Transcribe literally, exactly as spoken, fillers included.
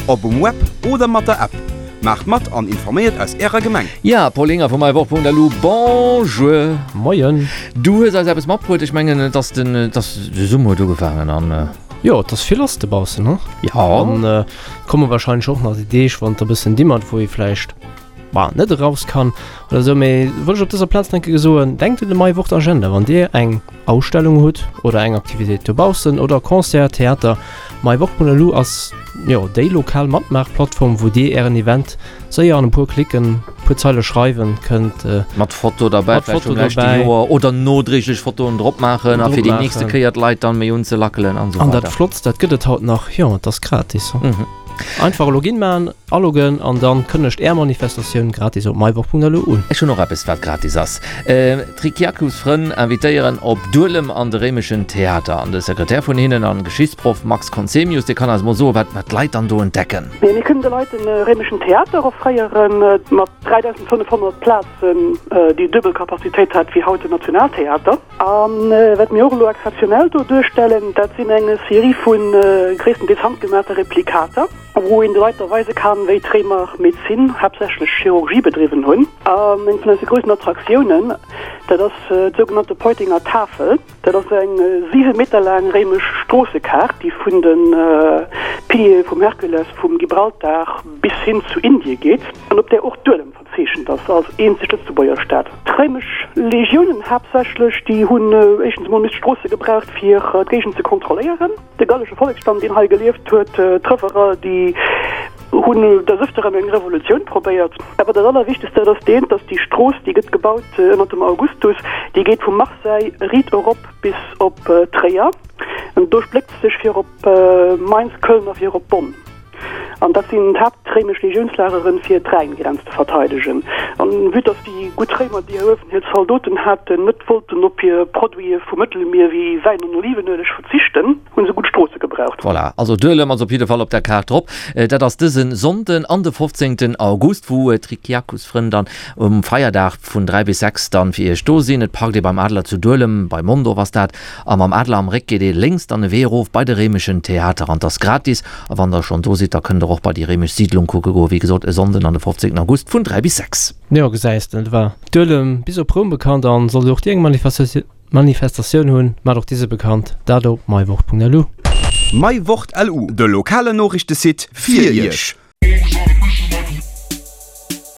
Ob um Web oder mat der App. Maacht mat an informéiert aus ärer Gemeng. Ja, Paul Inger vu meiwort.lu, Bonjour! Moien! Du hues eis eppes matbruet, ech mengen et ass den, et ass de Summer huet ugefaangen an. Jo, et ass vill lass dobaussen, he? Ja. An et komme warscheinlech och nach déi Deeg, wann et e bëssen dimmert, wou ee vläicht, bah, net eraus kann oder esou. Mee wëll ech op dëser Plaz nach eng Kéier soen, denkt un de Meiwort Agenda, wann Dir eng Ausstellung hutt oder eng Aktivitéit dobaussen oder Concert, Theater, Meiwort.lu ass jo déi lokal Matmaachplattform, wou Dir Ären Event séier an e puer Klicken, e puer Zeile schreiwen kënnt. Mat Foto derbäi, Mat vläicht Foto vum leschte derbäi. Joer oder nodréiglech Fotoen drop maachen a fir déi nächste Dropmaachen. Kéier d'Leit dann méi unzelackelen an esou An dat weider. Flottst, dat gëtt et haut nach, jo, et ass gratis. Mhm. Einfach e Login maachen, aloggen an dann kënnegt Är Manifestatioun gratis op meiwoch.lu un. Ech hunn och eppes wat gratis ass. D'Rikiakus Frënn invitéieren op Duelem an de réimeschen Theater. An de Sekretär vun hinnen an Geschichtsproff Max Conzemius, dee kann eis mol soen, wat wat d'Leit dann do entdecken. Mee mir kënnen de Leit de réimeschen Theater offréieren, mat dräidausendfënnefhonnert Plazen, déi duebel Capacitéit hat wéi haut den Nationaltheater. A wat mir och elo exzeptionell do duerstellen, dat sinn eng Serie vu gréisstendeels handgemaachte Replikater, wou een de Leit da weise kann, wéi d'Réimer Medezin, haaptsächlech Chirurgie bedriwwen hunn. An eng vun eise groussen Attraktiounen, dat ass d'sougenannte Peutinger Tafel. Dat ass eng siwe Meter laang réimesch Stroossekaart, déi vun de Piliere vum Herkules vum Gibraltar bis hin zu Indie geet an op där och Duelem verzeechent ass als eenzeg Lëtzebuerger Stad. D'réimesch Legiounen haaptsächlech, déi hunn éischtens emol misst Stroosse gebraucht fir d'Géigend ze kontrolléieren. De gallesche Volleksstamm, deen hei gelieft huet, d'Trëverer, déi hunn des Ëfteren eng Revolutioun probéiert. Awer dat Allerwichtegst, dat ass deen, dass déi Strooss, déi gëtt gebaut ënner dem Augustus, déi geet vu Marseille riit erop bis op Tréier an do spléckt se sech fir op Mainz, Köln a fir op Bonn. An dat sinn d'haaptréimesch Legiounslageren, fir d'Rhäingrenz ze verteidegen. An vue dass déi gutt Réimer, déi hei uewen hir Zaldoten haten, net wollten op hir Produite vum Mëttelmier wéi Wäin an Olivenueleg verzichten, hunn se gutt Stroosse gebraucht. Voilà, also Duelem ass op jidde Fall op der Kaart drop. Dat ass dëse Sonnden an de fofzéngten August, wou d'Rikiakus-Frënn dann um Feierdag vun dräi bis sechs dann fir iech do sinn. Et parkt ee beim Adler zu Duelem, bei Mondorf ass dat, a mam Adler am Réck geet ee lénks dann e Wee erof bei de réimeschen Theater an 't ass gratis. A wann der schonn do sidd, da kënnt der och bei déi réimesch Siidlung kucke goen. Wéi gesot, e Sonnden an de fofzéngten August vun dräi bis sechs. Jo, gesäis de, et war Duelem bis op Roum bekannt an sollt och dir eng Manifestatioun hunn, maacht och dise bekannt, dat op meiwort.lu. Meiwort.lu, de lokalen Noriichtesite fir Iech.